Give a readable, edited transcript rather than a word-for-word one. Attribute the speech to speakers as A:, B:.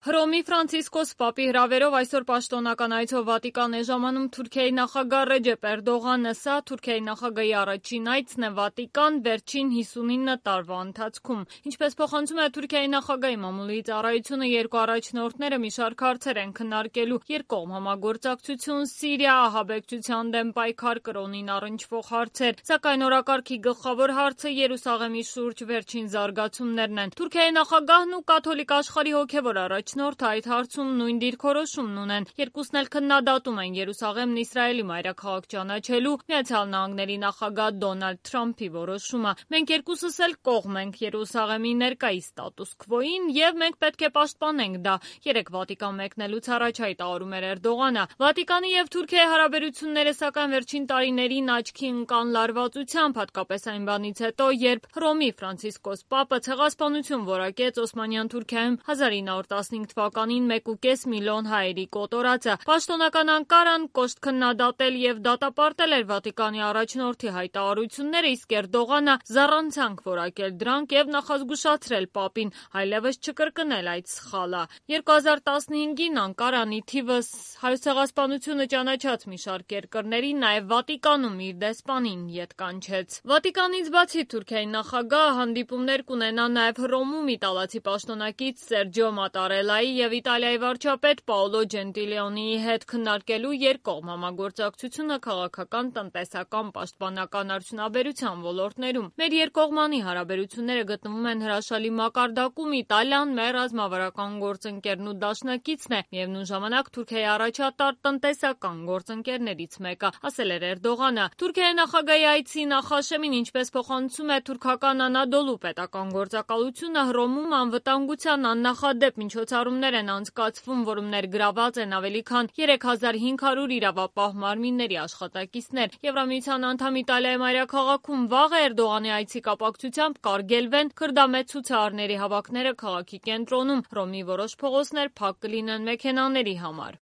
A: Հռոմի Ֆրանցիսկոս Պապի հրավերով այսօր պաշտոնական այցով Վատիկան է ժամանում Թուրքիայի նախագահ Ռեջեփ Էրդողանը։ Սա Թուրքիայի նախագահի առաջին այցն է Վատիկան վերջին 59 տարվա ընթացքում։ Ինչպես փոխանցում է Թուրքիայի նախագահի մամուլի ծառայությունը, երկու առաջնորդները մի շարք հարցեր են քննարկելու՝ երկկողմ համագործակցություն, Սիրիա, ահաբեկչության դեմ պայքար, կրոնին առնչվող հարցեր։ Սակայն օրակարգի գլխավոր հարցը Երուսաղեմի շուրջ վերջին զարգացումներն են։ Թուրքիայի նախագահն ու կաթոլիկ աշխարհի հոգևոր առաջնորդը այդ հարցում նույն դիրքորոշումն ունեն։ Երկուսն էլ քննադատում են Երուսաղեմն Իսրայելի մայրաքաղաք ճանաչելու ԱՄՆ նախագահ Դոնալդ Թրամփի որոշումը։ Մենք երկուսս էլ կողմ ենք Երուսաղեմի ներկայիս ստատուս քվոյին եւ մենք պետք է պաշտպանենք դա, երեկ Վատիկան մեկնելուց առաջ հայտարարում էր Էրդողանը։ Վատիկանի եւ Թուրքիայի հարաբերությունները սակայն վերջին տարիներին աչքի ընկան լարվածությամբ, հատկապես այն բանից հետո, երբ Հռոմի Ֆրանցիսկոս Պապը ցեղասպանություն որակեց Օսմանյան Թուրքիայում 1915 թվականին 1.5 միլիոն հայերի կոտորածը։ Պաշտոնական Անկարան կոշտ քննադատել եւ դատապարտել էր Վատիկանի առաջնորդի հայտարարությունները, իսկ Էրդողանը զառանցանք որակել դրանք եւ նախազգուշացրել Պապին այլևս չկրկնել այդ սխալը։ 2015-ին Անկարան ի թիվս հայոց ցեղասպանությունը ճանաչած մի շարք երկրների, նաեւ Վատիկանում իր դեսպանին ետ կանչեց։ Վատիկանից բացի Թուրքիայի նախագահը հանդիպումներ կունենա նաեւ Հռոմում իտալացի պաշտոնակից Սերջիո Մատարելայի եւ Իտալիայի վարչապետ Պաոլո Ջենտիլիոնիի հետ քննարկելու երկկողմ համագործակցությունը քաղաքական, տնտեսական, պաշտպանական արդյունաբերության ոլորտներում։ Մեր երկկողմանի հարաբերությունները գտնվում են հրաշալի մակարդակում։ Իտալիան մեր ռազմավարական գործընկերն ու դաշնակիցն է, միևնույն ժամանակ Թուրքիայի առաջատար տնտեսական գործընկերներից մեկը, ասել էր Էրդողանը։ Թուրքիայի նախագահի այցի նախաշեմին, ինչպես փոխանցում է թուրքական Անադոլու պետական գործակալությունը, Հռոմում անվտանգության աննախադեպ միջոցառումներ են անցկացվում, որում ներգրաված են ավելի քան 3500 իրավապահ մարմինների աշխատակիցներ։ Եվրամիության անդամ Իտալիայի մայրաքաղաքում վաղ Էրդողանի այցի կապակցությամբ կարգելվեն քրդամետ ցուցարարների հավաքները քաղաքի կենտրոնում։ Հռոմի որոշ փողոցներ փակ կլինեն մեքենաների համար։